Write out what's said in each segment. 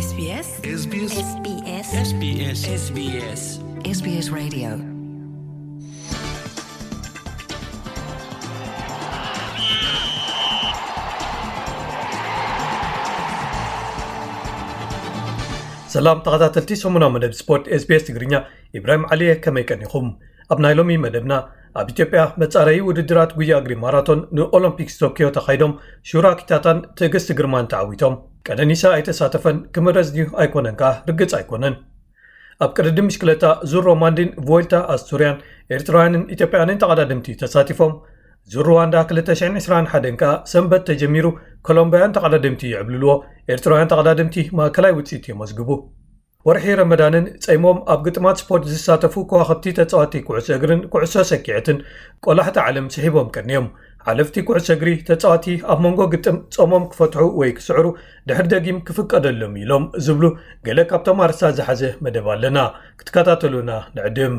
SBS SBS SBS SBS SBS SBS Radio. ሰላም ተኸታተልቲ ሰሙናዊ መደብ ስፖርት SBS ትግርኛ፣ ኢብራሂም ዓሊየ፣ ከመይ ቀኒኹም? ኣብ ናይ ሎሚ መደብና፣ ኣብ ኢትዮጵያ መጻረዪ ውድድራት ጉያ እግሪ ማራቶን ንኦሎምፒክስ ቶኪዮ ተኻይዶም፣ ሹራ ኪታታን ትዕግስቲ ግርማን ተዓዊቶም። ቀነኒሳ ኣይተሳተፈን፣ ክምረዝ ድዩ ኣይኮነን ከኣ ርግጽ ኣይኮነን። ኣብ ቅድድም ብሽክለታ ዙር ሮማንዲን ቮልታ ኣስቱርያን ኤርትራውያንን ኢትዮጵያውያንን ተቐዳደምቲ ተሳቲፎም። ዙር ሩዋንዳ ክልተ ሽሕን ዕስራን ሓደን ከኣ ሰንበት ተጀሚሩ፣ ኮሎምብያውያን ተቐዳደምቲ ይዕብልልዎ፣ ኤርትራውያን ተቐዳደምቲ ማእከላይ ውጽኢት የመዝግቡ። ወርሒ ረመዳንን ጸይሞም ኣብ ግጥማት ስፖርት ዝሳተፉ ከዋኽብቲ ተጻወቲ ኩዕሶ እግርን ኩዕሶ ሰኪዐትን ቆላሕቲ ዓለም ስሒቦም ቀንዮም። ሓለፍቲ ኩዕሶ እግሪ፣ ተጻወቲ ኣብ መንጎ ግጥም ጾሞም ክፈትሑ ወይ ክስዕሩ ድሕር ደጊም ክፍቀደሎም ኢሎም ዝብሉ ገለ ካብቶም ኣርእስታት ዝሓዘ መደብ ኣለና። ክትከታተሉና ንዕድም።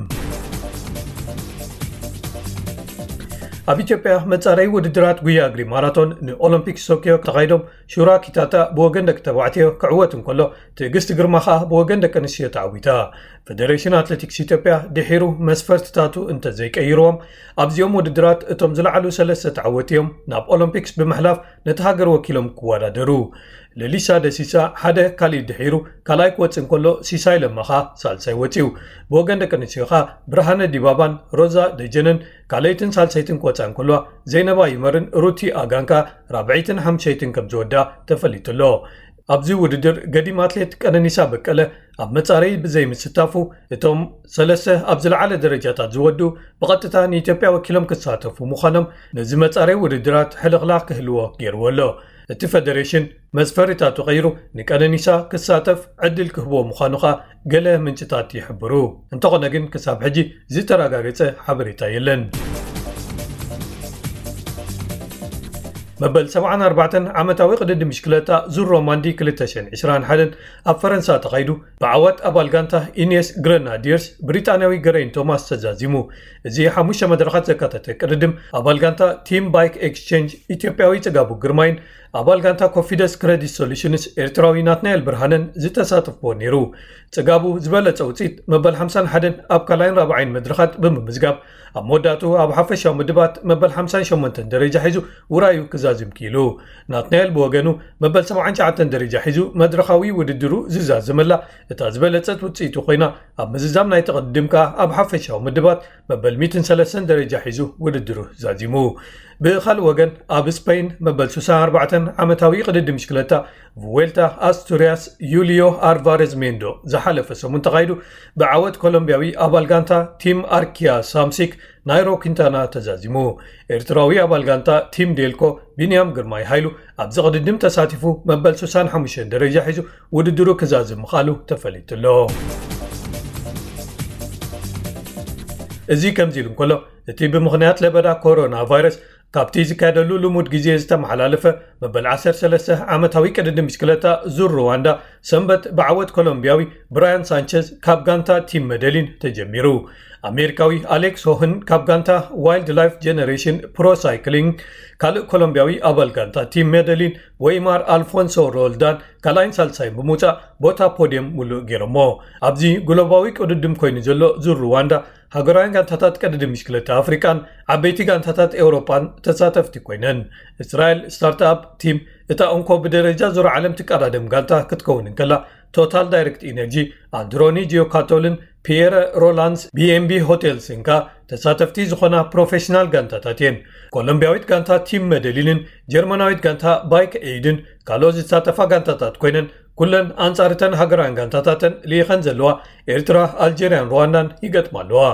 ኣብ ኢትዮጵያ መጻረዪ ውድድራት ጉያ እግሪ ማራቶን ንኦሎምፒክስ ቶኪዮ ተኻይዶም፣ ሹራ ኪታታ ብወገን ደቂ ተባዕትዮ ክዕወት እንከሎ፣ ትዕግስቲ ግርማ ከኣ ብወገን ደቂ ኣንስትዮ ተዓዊታ። ፈደሬሽን ኣትሌቲክስ ኢትዮጵያ ድሒሩ መስፈርትታቱ እንተዘይቀይርዎም፣ ኣብዚኦም ውድድራት እቶም ዝለዓሉ ሰለስተ ተዓወቲ እዮም ናብ ኦሎምፒክስ ብምሕላፍ ነቲ ሃገር ወኪሎም ክወዳደሩ። ለሊሳ ደሲሳ ሓደ፣ ካሊድ ድሒሩ ካልኣይ ክወጽእ እንከሎ፣ ሲሳይ ለማ ኸኣ ሳልሳይ ወጺኡ። ብወገን ደቂ ኣንስትዮ ኸኣ ብርሃነ ዲባባን ሮዛ ደጀነን ካልኣይትን ሳልሳይትን ክወጻ እንከለዋ፣ ዘይነባ ይመርን ሩቲ ኣጋን ከኣ ራብዐይትን ሓምሸይትን ከም ዝወዳ ተፈሊጡ ኣሎ። ኣብዚ ውድድር ገዲም ኣትሌት ቀነኒሳ በቀለ ኣብ መጻረዪ ብዘይምስታፉ፣ እቶም ሰለስተ ኣብ ዝለዓለ ደረጃታት ዝወዱ ብቐጥታ ንኢትዮጵያ ወኪሎም ክሳተፉ ምዃኖም ነዚ መጻረዪ ውድድራት ሕልኽላኽ ክህልዎ ገይርዎ ኣሎ። እቲ ፈደሬሽን መስፈሪታቱ ቀይሩ ንቀነኒሳ ክሳተፍ ዕድል ክህቦ ምዃኑ ኸኣ ገለ ምንጭታት ይሕብሩ። እንተኾነ ግን ክሳብ ሕጂ ዝተረጋገጸ ሓበሬታ የለን። መበል ሰብዓን ኣርባዕተን ዓመታዊ ቅድድም ብሽክለታ ዙር ሮማንዲ ክልተ ሽሕን ዕስራን ሓደን ኣብ ፈረንሳ ተኻይዱ፣ ብዓወት ኣባል ጋንታ ኢኔስ ግረናዲየርስ ብሪጣንያዊ ገረይን ቶማስ ተዛዚሙ። እዚ ሓሙሽተ መድረኻት ዘካተተ ቅድድም፣ ኣባል ጋንታ ቲም ባይክ ኤክስቼንጅ ኢትዮጵያዊ ጽጋቡ ግርማይን ኣባል ጋንታ ኮፊደስ ክረዲት ሶሉሽንስ ኤርትራዊ ናትናኤል ብርሃነን ዝተሳተፍዎ ነይሩ። ጽጋቡ ዝበለጸ ውጽኢት መበል ሓምሳን ሓደን ኣብ ካልኣይን ራብዓይን መድረኻት ብምምዝጋብ፣ ኣብ መወዳእቱ ኣብ ሓፈሻዊ ምድባት መበል ሓምሳን ሸሞንተን ደረጃ ሒዙ ውራዩ ክዛዝም ክኢሉ። ናትናኤል ብወገኑ መበል ሰብዓን ትሽዓተን ደረጃ ሒዙ መድረኻዊ ውድድሩ ዝዛዘመላ እታ ዝበለጸት ውጽኢቱ ኮይና፣ ኣብ ምዝዛም ናይቲ ቅድድም ከኣ ኣብ ሓፈሻዊ ምድባት መበል ሚእትን ሰለስተን ደረጃ ሒዙ ውድድሩ ዛዚሙ። ብኻልእ ወገን፣ ኣብ ስፐይን መበል ሱሳን ኣርባዕተን ዓመታዊ ቅድድም ብሽክለታ ቭዌልታ ኣስቱርያስ ዩልዮ ኣልቫሬዝ ሜንዶ ዝሓለፈ ሰሙን ተኻይዱ፣ ብዓወት ኮሎምብያዊ ኣባል ጋንታ ቲም ኣርኪያ ሳምሲክ ናይሮ ኪንታና ተዛዚሙ። ኤርትራዊ ኣባል ጋንታ ቲም ዴልኮ ቢንያም ግርማይ ሃይሉ ኣብዚ ቅድድም ተሳቲፉ መበል ሱሳን ሓሙሽተን ደረጃ ሒዙ ውድድሩ ክዛዝም ምኻሉ ተፈሊጡ ኣሎ። እዚ ከምዚ ኢሉ እንከሎ፣ እቲ ብምኽንያት ለበዳ ኮሮና ቫይረስ ካብቲ ዝካየደሉ ልሙድ ግዜ ዝተመሓላለፈ መበል ዓሰርተ ሰለስተ ዓመታዊ ቅድድም ብሽክለታ ዙር ሩዋንዳ ሰንበት ብዓወት ኮሎምቢያዊ ብራያን ሳንቸዝ ካብ ጋንታ ቲም መደሊን ተጀሚሩ። ኣሜሪካዊ ኣሌክስ ሆህን ካብ ጋንታ ዋይልድ ላይፍ ጀነሬሽን ፕሮ ሳይክሊንግ፣ ካልእ ኮሎምቢያዊ ኣባል ጋንታ ቲም መደሊን ወይማር ኣልፎንሶ ሮልዳን ካልኣይን ሳልሳይን ብምውጻእ ቦታ ፖድየም ሙሉእ ገይሮሞ። ኣብዚ ግሎባዊ ቅድድም ኮይኑ ዘሎ ዙር ሩዋንዳ፣ ሃገራውያን ጋንታታት ቅድድም ብሽክለታ ኣፍሪቃን ዓበይቲ ጋንታታት ኤውሮጳን ተሳተፍቲ ኮይነን። እስራኤል ስታርትኣፕ ቲም እታ እንኮ ብደረጃ ዙር ዓለም ትቀዳደም ጋንታ ክትከውን እንከላ፣ ቶታል ዳይሬክት ኢነርጂ፣ ኣንድሮኒ ጂዮካቶልን ፒየረ ሮላንስ ቢኤምቢ ሆቴልስን ከኣ ተሳተፍቲ ዝኾና ፕሮፌሽናል ጋንታታት እየን። ኮሎምቢያዊት ጋንታ ቲም መደሊንን ጀርመናዊት ጋንታ ባይክ ኤይድን ካልኦት ዝሳተፋ ጋንታታት ኮይነን፣ ኩለን ኣንጻር እተን ሃገራውያን ጋንታታተን ልኢኸን ዘለዋ ኤርትራ፣ ኣልጀርያን ሩዋንዳን ይገጥማ ኣለዋ።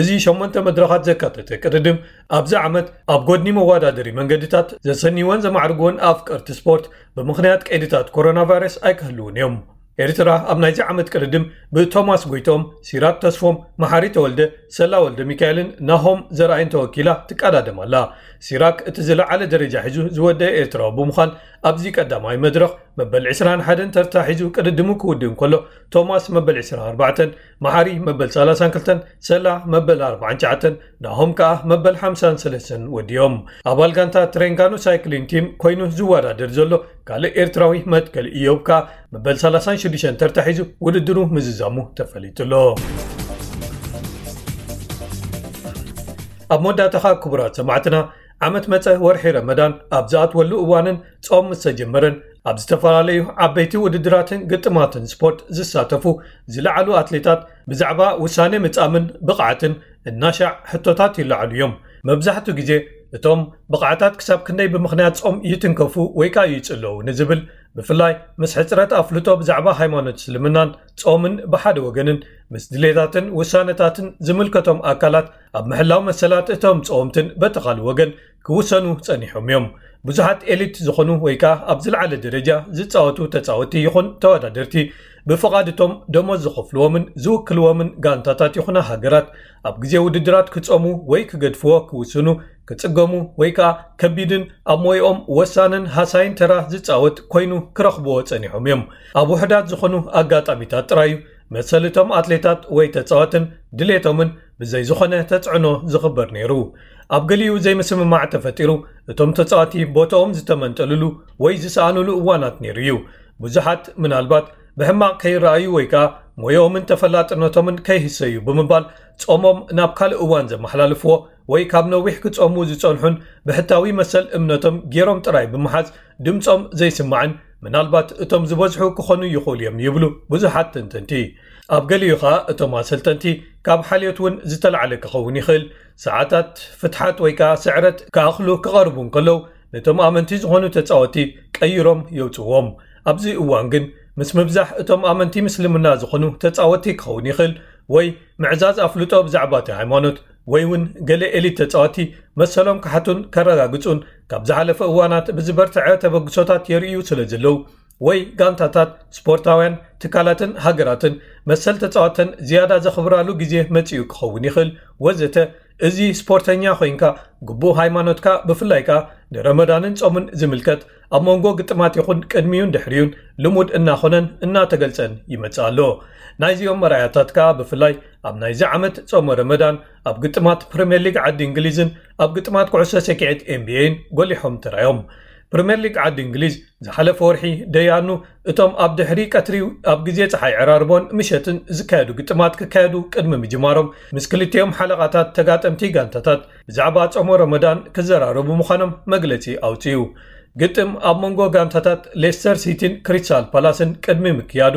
እዚ ሸሞንተ መድረኻት ዘካተተ ቅድድም፣ ኣብዚ ዓመት ኣብ ጎድኒ መወዳደሪ መንገድታት ዘሰንይወን ዘማዕርግወን ኣፍቀርቲ ስፖርት ብምኽንያት ቀይድታት ኮሮና ቫይረስ ኣይክህልውን እዮም። ኤርትራ ኣብ ናይዚ ዓመት ቅድድም ብቶማስ ጎይትኦም፣ ሲራክ ተስፎም፣ መሓሪ ተወልደ፣ ሰላ ወልደ ሚካኤልን ናሆም ዘርኣይን ተወኪላ ትቀዳደም ኣላ። ሲራክ እቲ ዝለዓለ ደረጃ ሒዙ ዝወደአ ኤርትራዊ ብምዃን፣ ኣብዚ ቀዳማይ መድረኽ መበል ዕስራን ሓደን ተርታ ሒዙ ቅድድሙ ክውድእ እንከሎ፣ ቶማስ መበል ዕስራን ኣርባዕተን፣ መሓሪ መበል ሰላሳን ክልተን፣ ሰላ መበል ኣርባዓን ትሽዓተን፣ ናሆም ከኣ መበል ሓምሳን ሰለስተን ወዲኦም። ኣባል ጋንታ ትሬንጋኑ ሳይክሊን ቲም ኮይኑ ዝወዳደር ዘሎ ካልእ ኤርትራዊ መትከል ኢዮብ ከኣ መበል ሰላሳን ሽዱሽተን ተርታ ሒዙ ውድድሩ ምዝዛሙ ተፈሊጡ ኣሎ። ኣብ መወዳእታኻ ክቡራት ሰማዕትና፣ ዓመት መጸ ወርሒ ረመዳን ኣብ ዝኣትወሉ እዋንን ጾም ምስ ተጀመረን፣ ኣብ ዝተፈላለዩ ዓበይቲ ውድድራትን ግጥማትን ስፖርት ዝሳተፉ ዝለዓሉ ኣትሌታት ብዛዕባ ውሳኔ ምጻምን ብቕዓትን እናሻዕ ሕቶታት ይለዓሉ እዮም። መብዛሕትኡ ግዜ እቶም ብቕዓታት ክሳብ ክንደይ ብምኽንያት ጾም ይትንከፉ ወይ ከኣ ይጽለዉ ንዝብል፣ ብፍላይ ምስ ሕጽረት ኣፍልጦ ብዛዕባ ሃይማኖት እስልምናን ጾምን ብሓደ ወገንን ምስ ድሌታትን ውሳነታትን ዝምልከቶም ኣካላት ኣብ ምሕላው መሰላት እቶም ጸወምትን በቲ ካልእ ወገን ክውሰኑ ጸኒሖም እዮም። ብዙሓት ኤሊት ዝኾኑ ወይ ከኣ ኣብ ዝለዓለ ደረጃ ዝጻወቱ ተጻወትቲ ይኹን ተወዳደርቲ፣ ብፍቓድ እቶም ደሞዝ ዝኸፍልዎምን ዝውክልዎምን ጋንታታት ይኹና ሃገራት፣ ኣብ ግዜ ውድድራት ክጾሙ ወይ ክገድፍዎ ክውስኑ፣ ክጽገሙ ወይ ከኣ ከቢድን ኣብ ሞይኦም ወሳንን ሃሳይን ተራ ዝጻወት ኮይኑ ክረኽብዎ ጸኒሖም እዮም። ኣብ ውሑዳት ዝኾኑ ኣጋጣሚታት ጥራይ እዩ መሰል እቶም ኣትሌታት ወይ ተጻወትን ድሌቶምን ብዘይ ዝኾነ ተጽዕኖ ዝኽበር ነይሩ። ኣብ ገሊኡ ዘይምስምማዕ ተፈጢሩ፣ እቶም ተጻወቲ ቦታኦም ዝተመንጠልሉ ወይ ዝሰኣኑሉ እዋናት ነይሩ እዩ። ብዙሓት ምናልባት ብሕማቕ ከይረኣዩ ወይ ከኣ ሞያኦምን ተፈላጥነቶምን ከይህሰዩ ብምባል ጾሞም ናብ ካልእ እዋን ዘመሓላልፍዎ ወይ ካብ ነዊሕ ክጾሙ ዝጸንሑን ብሕታዊ መሰል እምነቶም ገይሮም ጥራይ ብምሓዝ ድምጾም ዘይስማዕን ምናልባት እቶም ዝበዝሑ ክኾኑ ይኽእሉ እዮም ይብሉ ብዙሓት ተንተንቲ። ኣብ ገሊኡ ኸኣ እቶም ኣሰልጠንቲ ካብ ሓልዮት እውን ዝተላዕለ ክኸውን ይኽእል፣ ሰዓታት ፍትሓት ወይ ከኣ ስዕረት ክኣኽሉ ክቐርቡ እንከለዉ ነቶም ኣመንቲ ዝኾኑ ተጻወቲ ቀይሮም የውጽዎም። ኣብዚ እዋን ግን ምስ ምብዛሕ እቶም ኣመንቲ ምስልምና ዝኾኑ ተጻወቲ ክኸውን ይኽእል ወይ ምዕዛዝ ኣፍልጦ ብዛዕባ እቲ ሃይማኖት ወይ እውን ገለ ኤሊት ተጻወቲ መሰሎም ክሓቱን ከረጋግጹን ካብ ዝሓለፈ እዋናት ብዝበርትዐ ተበግሶታት የርእዩ ስለ ዘለዉ ወይ ጋንታታት፣ ስፖርታውያን ትካላትን ሃገራትን መሰል ተጻወተን ዝያዳ ዘኽብራሉ ግዜ መጺኡ ክኸውን ይኽእል ወዘተ። እዚ ስፖርተኛ ኮይንካ ግቡእ ሃይማኖትካ ብፍላይ ከኣ ንረመዳንን ጾምን ዝምልከት ኣብ መንጎ ግጥማት ይኹን ቅድሚዩን ድሕሪዩን ልሙድ እናኾነን እናተገልጸን ይመጽእ ኣሎ። ናይዚኦም መርኣያታት ከኣ ብፍላይ ኣብ ናይዚ ዓመት ጾመ ረመዳን ኣብ ግጥማት ፕሪምየር ሊግ ዓዲ እንግሊዝን ኣብ ግጥማት ኩዕሶ ሰኪዔት ኤንቢኤን ጎሊሖም ተራዮም። ፕሪምየር ሊግ ዓዲ እንግሊዝ ዝሓለፈ ወርሒ ደያኑ እቶም ኣብ ድሕሪ ቀትሪ ኣብ ግዜ ጸሓይ ዕራርቦን ምሸትን ዝካየዱ ግጥማት ክካየዱ ቅድሚ ምጅማሮም ምስ ክልቲኦም ሓለቓታት ተጋጠምቲ ጋንታታት ብዛዕባ ጾሞ ረመዳን ክዘራረቡ ምዃኖም መግለጺ ኣውጺኡ። ግጥም ኣብ መንጎ ጋንታታት ሌስተር ሲቲን ክሪስታል ፓላስን ቅድሚ ምክያዱ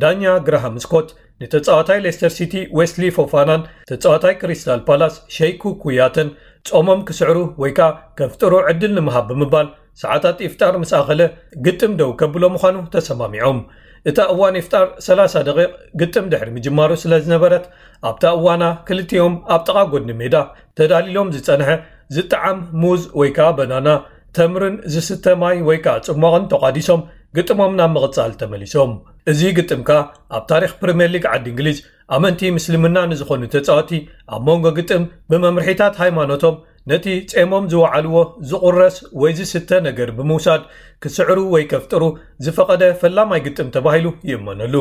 ዳኛ ግራሃም ስኮት ንተጻዋታይ ሌስተር ሲቲ ዌስሊ ፎፋናን ተጻዋታይ ክሪስታል ፓላስ ሸይኩ ኩያተን ጾሞም ክስዕሩ ወይ ከኣ ከፍጥሩ ዕድል ንምሃብ ብምባል ሰዓታት ኢፍጣር ምስ ኣኸለ ግጥም ደው ከብሎ ምዃኑ ተሰማሚዖም። እታ እዋን ኢፍጣር ሰላሳ ደቂቕ ግጥም ድሕሪ ምጅማሩ ስለ ዝነበረት ኣብታ እዋና ክልቲኦም ኣብ ጥቓ ጎድኒ ሜዳ ተዳሊሎም ዝጸንሐ ዝጠዓም ሙዝ ወይ ከኣ በናና፣ ተምርን ዝስተ ማይ ወይ ከኣ ጽሟቕን ተቋዲሶም ግጥሞም ናብ ምቕጻል ተመሊሶም። እዚ ግጥም ከኣ ኣብ ታሪኽ ፕሪምየር ሊግ ዓዲ እንግሊዝ ኣመንቲ ምስልምና ንዝኾኑ ተጻወቲ ኣብ መንጎ ግጥም ብመምርሒታት ሃይማኖቶም ነቲ ጼሞም ዝወዓልዎ ዝቑረስ ወይ ዝስተ ነገር ብምውሳድ ክስዕሩ ወይ ከፍጥሩ ዝፈቐደ ፈላማይ ግጥም ተባሂሉ ይእመነሉ።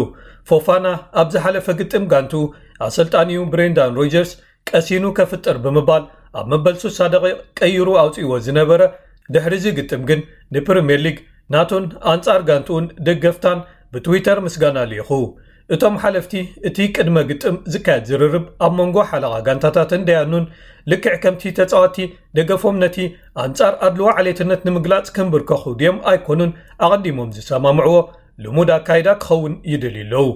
ፎፋና ኣብ ዝሓለፈ ግጥም ጋንትኡ ኣሰልጣኒኡ ብሬንዳን ሮጀርስ ቀሲኑ ከፍጥር ብምባል ኣብ መበል ሱሳ ደቂቕ ቀይሩ ኣውጺእዎ ዝነበረ፣ ድሕሪ እዚ ግጥም ግን ንፕሪምየር ሊግ ናቱን ኣንጻር ጋንትኡን ደገፍታን ብትዊተር ምስጋና ልኢኹ። እቶም ሓለፍቲ እቲ ቅድመ ግጥም ዝካየድ ዝርርብ ኣብ መንጎ ሓለቓ ጋንታታትን ደያኑን ልክዕ ከምቲ ተጻወቲ ደገፎም ነቲ ኣንጻር ኣድልዎ ዓሌትነት ንምግላጽ ክንብርከኹ ድዮም ኣይኮኑን ኣቐዲሞም ዝሰማምዕዎ ልሙድ ኣካይዳ ክኸውን ይደልዩ ኣለዉ።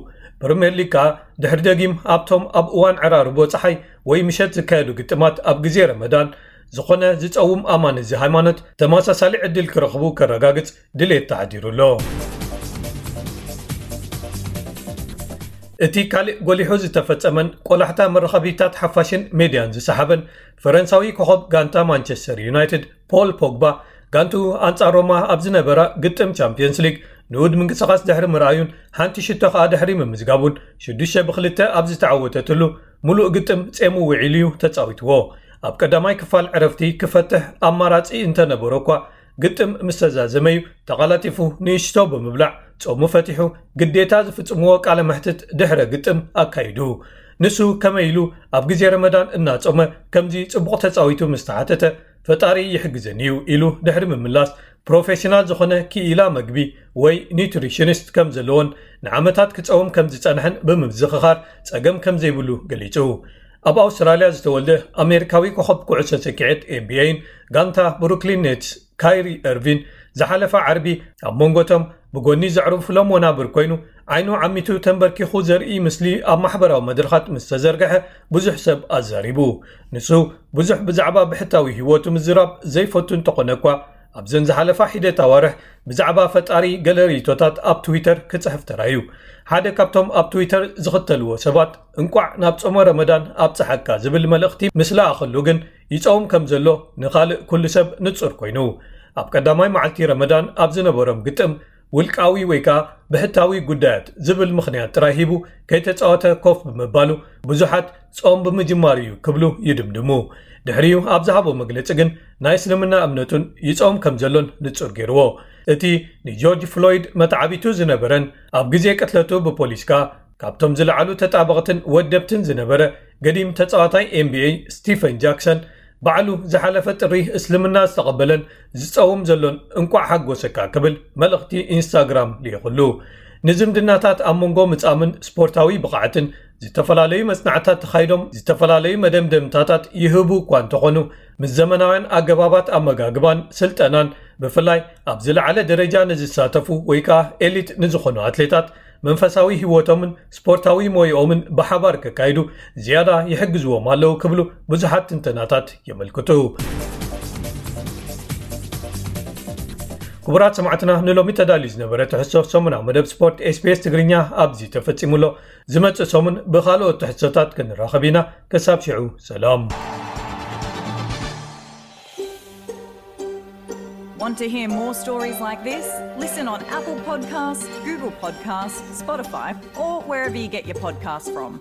ፕሪምየር ሊግ ከኣ ድሕሪ ደጊም ኣብቶም ኣብ እዋን ዕራርቦ ጸሓይ ወይ ምሸት ዝካየዱ ግጥማት ኣብ ግዜ ረመዳን ዝኾነ ዝጸውም ኣማኒ እዚ ሃይማኖት ተመሳሳሊ ዕድል ክረኽቡ ከረጋግጽ ድሌት ተሓዲሩ ኣሎ። እቲ ካልእ ጎሊሑ ዝተፈጸመን ቆላሕታ መራኸቢታት ሓፋሽን ሜድያን ዝሰሓበን ፈረንሳዊ ኮኸብ ጋንታ ማንቸስተር ዩናይትድ ፖል ፖግባ ጋንትኡ ኣንጻር ሮማ ኣብ ዝነበራ ግጥም ቻምፕዮንስ ሊግ ንኡድ ምንቅስቓስ ድሕሪ ምርኣዩን ሓንቲ ሽቶ ከኣ ድሕሪ ምምዝጋቡን ሽዱሽተ ብክልተ ኣብ ዝተዓወተትሉ ምሉእ ግጥም ጼሙ ውዒሉ እዩ ተጻዊትዎ። ኣብ ቀዳማይ ክፋል ዕረፍቲ ክፈትሕ ኣማራጺ እንተነበሮ እኳ ግጥም ምስ ተዛዘመ እዩ ተቐላጢፉ ንእሽቶ ብምብላዕ ጾሙ ፈቲሑ ግዴታ ዝፍጽምዎ ቃለ መሕትት ድሕረ ግጥም ኣካይዱ። ንሱ ከመይ ኢሉ ኣብ ግዜ ረመዳን እናጾመ ከምዚ ጽቡቕ ተጻዊቱ ምስ ተሓተተ፣ "ፈጣሪ ይሕግዘኒ እዩ" ኢሉ ድሕሪ ምምላስ፣ ፕሮፌሽናል ዝኾነ ክኢላ መግቢ ወይ ኒውትሪሽኒስት ከም ዘለዎን ንዓመታት ክጸውም ከም ዝጸንሐን ብምዝኽኻር ጸገም ከም ዘይብሉ ገሊጹ። ኣብ ኣውስትራልያ ዝተወልደ ኣሜሪካዊ ኮኸብ ኩዕሶ ሰኪዔት ኤንቢኤን ጋንታ ብሩክሊን ኔትስ ካይሪ ኤርቪን ዝሓለፈ ዓርቢ ኣብ መንጎቶም ብጎኒ ዘዕርፍሎም ወናብር ኮይኑ ዓይኑ ዓሚቱ ተንበርኪኹ ዘርኢ ምስሊ ኣብ ማሕበራዊ መድረኻት ምስ ተዘርግሐ ብዙሕ ሰብ ኣዛሪቡ። ንሱ ብዙሕ ብዛዕባ ብሕታዊ ህይወቱ ምዝራብ ዘይፈቱ እንተኾነ እኳ ኣብዘን ዝሓለፋ ሒደት ኣዋርሕ ብዛዕባ ፈጣሪ ገለ ርእይቶታት ኣብ ትዊተር ክጽሕፍ ተራእዩ። ሓደ ካብቶም ኣብ ትዊተር ዝኽተልዎ ሰባት እንቋዕ ናብ ጾመ ረመዳን ኣብጽሓካ ዝብል መልእኽቲ ምስ ለኣኸሉ ግን ይጸውም ከም ዘሎ ንኻልእ ኩሉ ሰብ ንጹር ኮይኑ። ኣብ ቀዳማይ መዓልቲ ረመዳን ኣብ ዝነበሮም ግጥም ውልቃዊ ወይ ከኣ ብሕታዊ ጉዳያት ዝብል ምኽንያት ጥራይ ሂቡ ከይተጻወተ ኮፍ ብምባሉ ብዙሓት ጾም ብምጅማሩ እዩ ክብሉ ይድምድሙ። ድሕሪኡ ኣብ ዝሃቦ መግለጺ ግን ናይ እስልምና እምነቱን ይጾም ከም ዘሎን ንጹር ገይርዎ። እቲ ንጆርጅ ፍሎይድ መተዓቢቱ ዝነበረን ኣብ ግዜ ቅትለቱ ብፖሊስ ከኣ ካብቶም ዝለዓሉ ተጣበቕትን ወደብትን ዝነበረ ገዲም ተጻዋታይ ኤንቢኤ ስቲፈን ጃክሰን ባዕሉ ዝሓለፈ ጥሪ እስልምና ዝተቐበለን ዝጸውም ዘሎን እንቋዕ ሓጎሰካ ክብል መልእኽቲ ኢንስታግራም ልኢኹሉ። ንዝምድናታት ኣብ መንጎ ምጻምን ስፖርታዊ ብቕዓትን ዝተፈላለዩ መጽናዕታት ተኻይዶም ዝተፈላለዩ መደምደምታታት ይህቡ እኳ እንተኾኑ፣ ምስ ዘመናውያን ኣገባባት ኣመጋግባን ስልጠናን ብፍላይ ኣብ ዝለዓለ ደረጃ ንዝሳተፉ ወይ ከኣ ኤሊት ንዝኾኑ ኣትሌታት መንፈሳዊ ህይወቶምን ስፖርታዊ ሞይኦምን ብሓባር ከካይዱ ዝያዳ ይሕግዝዎም ኣለዉ ክብሉ ብዙሓት ትንተናታት የመልክቱ። ክቡራት ሰማዕትና፣ ንሎሚ ተዳልዩ ዝነበረ ትሕዝቶ ሰሙናዊ መደብ ስፖርት ኤስቢኤስ ትግርኛ ኣብዚ ተፈጺሙ ኣሎ። ዝመጽእ ሰሙን ብኻልኦት ትሕዝቶታት ክንራኸብ ኢና። ክሳብ ሽዑ ሰላም። Want to hear more stories like this? Listen on Apple Podcasts, Google Podcasts, Spotify, or wherever you get your podcasts from.